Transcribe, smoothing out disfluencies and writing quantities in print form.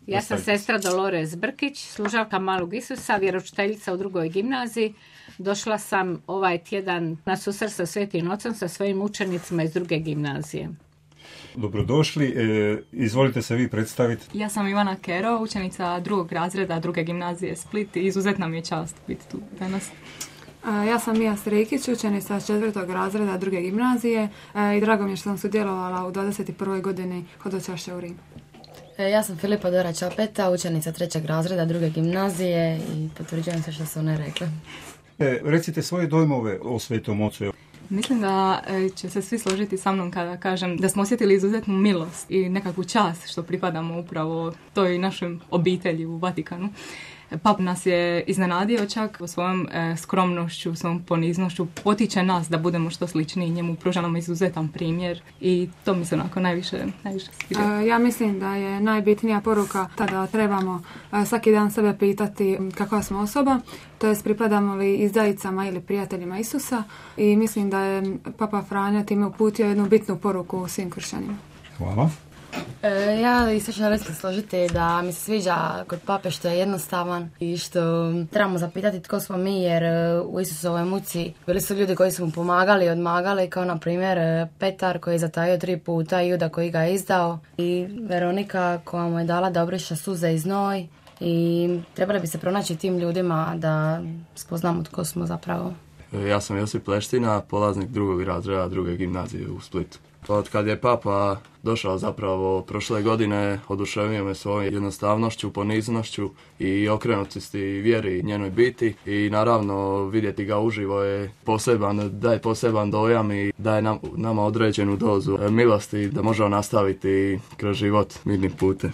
Ja sam sestra Dolores Brkić, služavka Malog Isusa, vjeroučiteljica u 2. gimnaziji. Došla sam ovaj tjedan na susret sa Svetim Ocom sa svojim učenicima iz 2. gimnazije. Dobrodošli, izvolite se vi predstaviti. Ja sam Ivana Kero, učenica 2. razreda 2. gimnazije Split i izuzetna mi je čast biti tu danas. Ja sam Mija Strikić, učenica 4. razreda 2. gimnazije i drago mi je što sam sudjelovala u 21. godini hodočašća u Rim. Ja sam Filipa Dora Čapeta, učenica 3. razreda 2. gimnazije i potvrđujem se što su one rekle. Recite svoje dojmove o Svetom Ocu. Mislim da će se svi složiti sa mnom kada kažem da smo osjetili izuzetnu milost i nekakvu čast što pripadamo upravo toj našoj obitelji u Vatikanu. Pap nas je iznenadio čak svojom skromnošću, svojom poniznošću, potiče nas da budemo što sličniji njemu, pruža nam izuzetan primjer i to mi se onako najviše sviđa. Ja mislim da je najbitnija poruka tada trebamo svaki dan sebe pitati kakva smo osoba, to jest pripadamo li izdajicama ili prijateljima Isusa i mislim da je Papa Franjo time uputio jednu bitnu poruku svim kršćanima. Hvala. Ja isto želim se složiti da mi se sviđa kod pape što je jednostavan i što trebamo zapitati tko smo mi, jer u Isusovoj muci bili su ljudi koji su mu pomagali i odmagali, kao na primjer Petar koji je zatajio 3 puta i Juda koji ga je izdao i Veronika koja mu je dala da obriše suze i znoj i trebali bi se pronaći tim ljudima da spoznamo tko smo zapravo. Ja sam Josip Pleština, polaznik 2. razreda 2. gimnazije u Splitu. Od kad je Papa došao zapravo prošle godine, oduševio me svojom jednostavnošću, poniznošću i okrenutosti vjeri njenoj biti i naravno vidjeti ga uživo je daje poseban dojam i daje nama određenu dozu milosti da možemo nastaviti kroz život mirnim putem.